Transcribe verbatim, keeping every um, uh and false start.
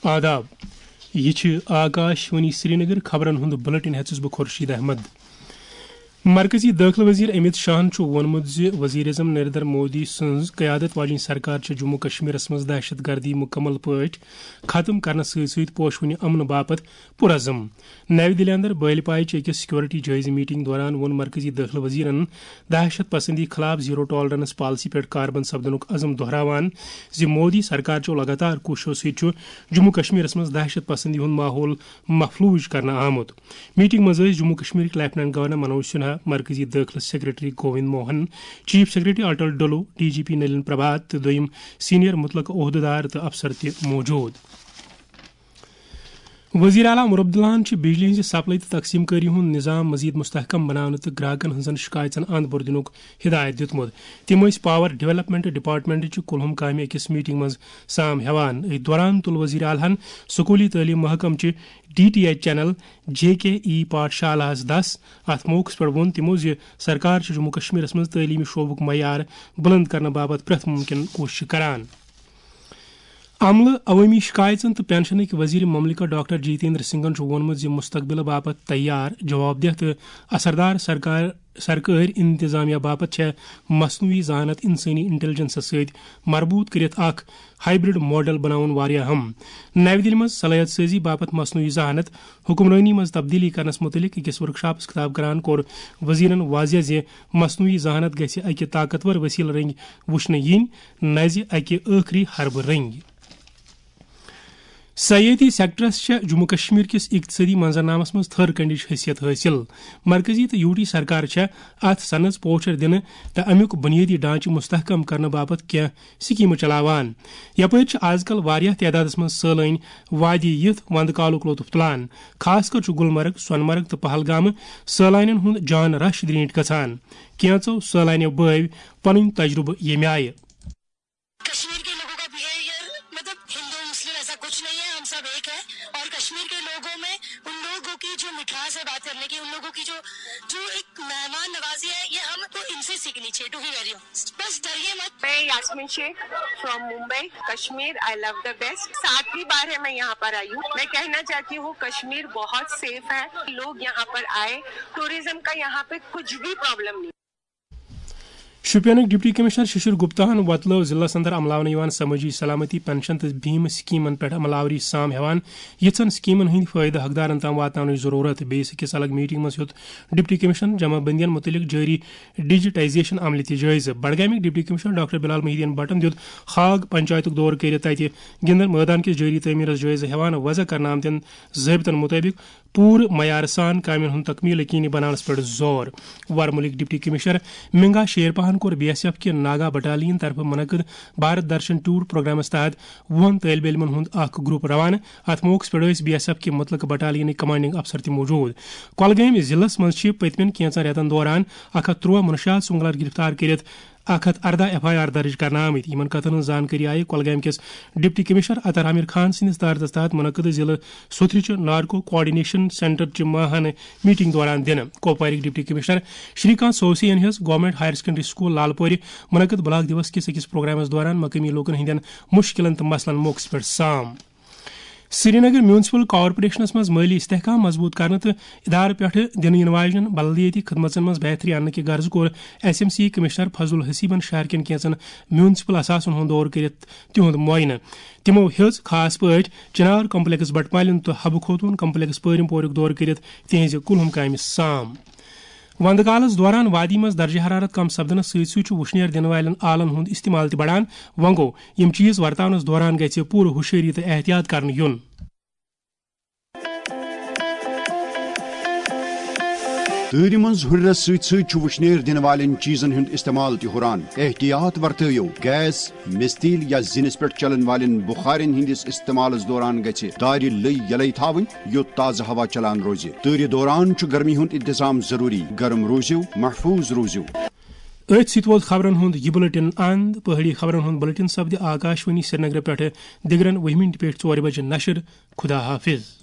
آداب۔ یہِ چھِ آکاش وانی سرینگر۔ خبرن ہُنٛد بلیٹن ہٮ۪ژٕس بہٕ خورشید احمد۔ مرکزی دٲخلہٕ وزیر امت شاہن چھُ ووٚنمُت زِ وزیر اعظم نریندر مودی سٕنٛز قیادت واجیٚنۍ سرکار چھِ جموں کشمیرس منٛز دہشت گردی مُکمل پٲٹھۍ ختم کرنس سۭتۍ سۭتۍ پوشونہِ امنہٕ باپتھ پُرعزم۔ نَوِ دِلہِ اندر بٲلۍ پایہِ چہِ أکِس سیکورٹی جٲیزٕ میٹنگ دوران ووٚن مرکزی دٲخلہٕ وزیرن دہشت پسندی خلاف زیرو ٹالرنس پالیسی پٮ۪ٹھ کاربند سپدنُک عزم دۄہراوان زِ مودی سرکار چو لگاتار کوٗششو سۭتۍ چھُ جموں کشمیرس منٛز دہشت پسندی ہُنٛد ماحول مفلوج کرنہٕ آمُت۔ میٹنگ منٛز ٲسۍ جموں کشمیرٕکۍ لیفٹیننٹ گورنر منوج سنہا، مرکزی دٲخلہٕ secretary Govind Mohan, chief secretary Atul Dulloo, D G P Nalin Prabhat تہٕ دوٚیِم سینئر مُتلقہٕ عہدٕدار تہٕ افسر تہِ موجود۔ وزیر اعلیٰ عمر عبداللہن چھِ بجلی ہٕنٛزِ سپلائی تہٕ تقسیٖم کٲری ہُنٛد نظام مزید مستحکم بناونہٕ تہٕ گراہکن ہٕنٛزن شکایژن اند بور دِنُک ہدایت دِیُتمُت۔ تِم ٲسۍ پاور ڈیولپمنٹ ڈپارٹمنٹ چہِ کُلہُم کامہِ أکِس میٹنگ منٛز سام ہٮ۪وان۔ أتھۍ دوران تُل وزیر اعلیٰ ہن سکوٗلی تعلیٖم محکمہٕ چہِ D T H channel J K E پاٹھشالاہس دس۔ اتھ موقعس پٮ۪ٹھ ووٚن تِمو زِ سرکار چھِ جموں کشمیرس منٛز تعلیٖمی شعبُک معیار بلند کرنہٕ باپتھ پرٛٮ۪تھ مُمکِن کوٗشش کران۔ عملہٕ، عوٲمی شکایژن تہٕ پنشنٕکۍ وزیر مملکت ڈاکٹر جتیندر سنگھن چھُ ووٚنمُت زِ مستقبلہٕ باپتھ تیار، جواب دہ تہٕ اثردار سرکار، سرکٲرۍ انتظامیہ باپتھ چھےٚ مصنوعی ذہانت انسٲنی انٹیلیجنسس سۭتۍ مربوط کٔرِتھ اکھ ہائبرڈ ماڈل بناوُن واریاہ اہم۔ نَوِ دِلہِ منٛز صلٲحیت سٲزی باپتھ مصنوعی ذہانت حکمرٲنی منٛز تبدیلی کرنس مُتعلق أکِس ورکشاپس خطاب کران کوٚر وزیرن واضح زِ مصنوعی ذہانت گژھِ اکہِ طاقتور وسیلہٕ رٔنگۍ وُچھنہٕ یِنۍ، نہ زِ اکہِ ٲخری حربہٕ رٔنگۍ۔ سیٲحتی سیکٹرس چھےٚ جموں کشمیر کِس اقتصٲدی منظرنامس منٛز تھٔر کنڈٕچ حیثیت حٲصِل۔ مرکزی تہٕ یوٗ ٹی سرکار چھےٚ اتھ صنعتس پوچھر دِنہٕ تہٕ امیُک بنیٲدی ڈھانچہٕ مستحکم کرنہٕ باپتھ کینٛہہ سکیمہٕ چلاوان۔ یپٲرۍ چھِ آز کل واریاہ تعدادس منٛز سٲلٲنۍ وادی یِتھ وندٕ کالُک لطف تُلان۔ خاص کر چھُ گلمرگ، سۄنہٕ مرگ تہٕ پہلگامہٕ سٲلانٮ۪ن ہُنٛد جان رش درینٹھ گژھان۔ کینٛژو سٲلانیو بٲوۍ پنٕنۍ تجربہٕ ییٚمہِ آیہِ۔ کشمیر کے لوگوں کا بہیویئر، مطلب، ہندو مسلم ایسا کچھ نہیں ہے، ہم سب ایک ہیں۔ اور کشمیر کے لوگوں میں ان لوگوں کی جو مٹھاس ہے بات کرنے کی، ان لوگوں کی جو جو ایک مہمان نوازی ہے، یہ ہم کو ان سے سیکھنی چاہیے، ٹو بی ویری آنسٹ۔ بس ڈریے مت۔ میں Yasmin Sheikh from Mumbai, Kashmir, I love the best. ساتویں بار ہے میں یہاں پر آئی ہوں۔ میں کہنا چاہتی ہوں کشمیر بہت سیف ہے، لوگ یہاں پر آئے، ٹورازم کا یہاں پہ کچھ بھی پرابلم نہیں۔ شوپینٕکۍ ڈپٹی کمشنر ششر گپتاہن وۄتلٲو ضلعس اندر عملاونہٕ یِوان سمٲجی سلامتی پنشن تہٕ بھیم سکیمن پٮ۪ٹھ عمل آوری سام ہٮ۪وان یِژھن سکیمن ہٕنٛدۍ فٲیدٕ حقدارن تام واتناونٕچ ضروٗرت۔ بیٚیِس أکِس الگ میٹنگ منٛز ہیوٚت ڈپٹی کمشنر جمع بندین متعلق جٲری ڈیجیٹائزیشن عملہِ تہِ جٲیزٕ۔ بڈگامٕکۍ ڈپٹی کمشنر ڈاکٹر بلال محی الدین بٹن دیُت ہاگ پنچایتُک دورٕ کٔرِتھ تتہِ گِندن مٲدان کِس جٲری تعمیرس جٲیزٕ ہٮ۪وان وضع کرنہٕ آمتٮ۪ن ضٲبطن مطٲبق پوٗرٕ معیار سان کامٮ۪ن ہُنٛد تکمیل یقینی بناونس پٮ۪ٹھ زور۔ ورمُلٕکۍ ڈپٹی کمشنر منگا شیرپاہن کوٚر بی ایس ایف کہِ ناگا بٹالین طرفہٕ منعقد بھارت درشن ٹور پروگرامس تحت وُہن طٲلبہِ علمن ہُنٛد اکھ گروپ روانہٕ۔ اتھ موقعس پٮ۪ٹھ ٲسۍ بی ایس ایف کہِ مُتلقہٕ بٹالینٕکۍ کمانڈنگ افسر تہِ موجود۔ کۄلگٲمۍ ضلعس منٛز چھِ پٔتمٮ۪ن کینٛژن رٮ۪تن دوران اکھ ہتھ ترٛوہ منشیات سمگلر گرفتار کٔرِتھ اکھ ہتھ ارداہ ایف آئی آر درج کرنہٕ آمٕتۍ۔ یِمن کتھن ہٕنٛز زانکٲری آیہِ کۄلگامہِ کِس ڈپٹی کمشنر عطا عامر خان سٕنٛدِس تارتس تحت منعقد ضلعہٕ سوتھرِ چہِ نارکو کوآرڈینیشن سینٹر چہِ ماہانہٕ میٹنگ دوران دِنہٕ۔ کۄپوارٕکۍ ڈپٹی کمشنر شری کانت سوسے ین ہیٚژ گورنمنٹ ہایر سیکنڈری سکول لال پورِ منعقد بلاک دیوس کِس أکِس پروگرامس دوران مقٲمی لوٗکن ہٕنٛدٮ۪ن مُشکِلن تہٕ مسلن موقعس پٮ۪ٹھ سام۔ سرینگر میونسپل کارپوریشنس منٛز مٲلی استحکام مضبوٗط کرنہٕ تہٕ ادارٕ پٮ۪ٹھٕ دِنہٕ یِنہٕ واجٮ۪ن بلدیٲتی خدمژن منٛز بہتری اننہٕ کہِ غرضہٕ کوٚر ایس ایم سی کمشنر فضل حسیبن شہر کٮ۪ن کینٛژن میونسپل اثاثن ہُنٛد دورٕ کٔرِتھ تِہُنٛد معاینہٕ۔ تِمو ہیٚژ خاص پٲٹھۍ چنار کمپلیکس بٹمالین تہٕ حبہٕ خوتون کمپلیکس پٲرِم پوریُک دورٕ کٔرِتھ تِہنٛزِ کُلہُم کامہِ سام۔ وندٕ کالس دوران وادی منٛز درجہ حرارت کم سپدنس سۭتۍ سۭتۍ چھُ وُشنیر دِنہٕ والٮ۪ن آلن ہُنٛد استعمال تہِ بڑان۔ وۄنۍ گوٚو، یِم چیز ورتاونس دوران گژھِ پوٗرٕ ہُشٲری تہٕ احتیاط کرنہٕ یُن۔ تۭرِ منٛز ہُرٮ۪رس سۭتۍ سۭتۍ چھُ وُشنیر دِنہٕ والٮ۪ن چیزن ہُنٛد استعمال تہِ ہُران۔ احتیاط ورتٲیِو، گیس، مِستیٖل یا زِنِس پٮ۪ٹھ چلن والٮ۪ن بُخارٮ۪ن ہٕنٛدِس استعمالس دوران گژھِ دارِ لٔۍ یلے تھاوٕنۍ، یوٚت تازٕ ہوا چلان روزِ۔ تۭرِ دوران چھُ گرمی ہُنٛد انتظام ضروٗری۔ گرم روٗزِو، محفوٗظ روٗزِو۔ أتھۍ سۭتۍ ووت خبرن ہُنٛد یہِ بُلٹن اند۔ پہٲڑی خبرن ہُنٛد بُلٹن سپدِ آکاشوانی سرینگرٕ پٮ۪ٹھٕ دِگرن وُہہِ مِنٹہِ پٮ۪ٹھ ژورِ بجہِ نشر۔ خدا حافظ۔